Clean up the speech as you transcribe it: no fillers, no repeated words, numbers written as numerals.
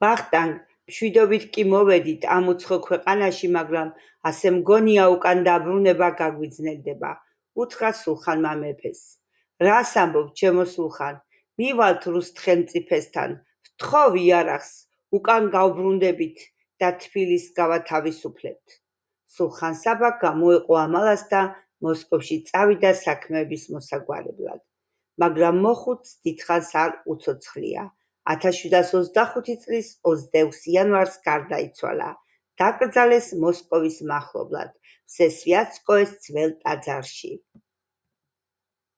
ვახტანგ, მშვიდობით კი მოვედით ამ უცხო ქვეყანაში, მაგრამ ასე მგონია უკან დაბრუნება გაგვიძნელდება, უთხრა სულხანმა მეფეს. რას ამბობ, ჩემო სულხან, მივალთ რუს ხელმწიფესთან, ვთხოვ იარაღს, უკან გავბრუნდებით და თბილისს გავათავისუფლებთ. სულხან საბა გამოეყო ამალას და მოსკოვში წავიდა საქმეების მოსაგვარებლად. მაგრამ მოხუცს დიდხანს არ უცოცხლია. 1725 წლის 26 იანვარს გარდაიცვალა. დაკრძალეს მოსკოვის მახლობლად, ვსესვიატსკოეს ძველ ტაძარში.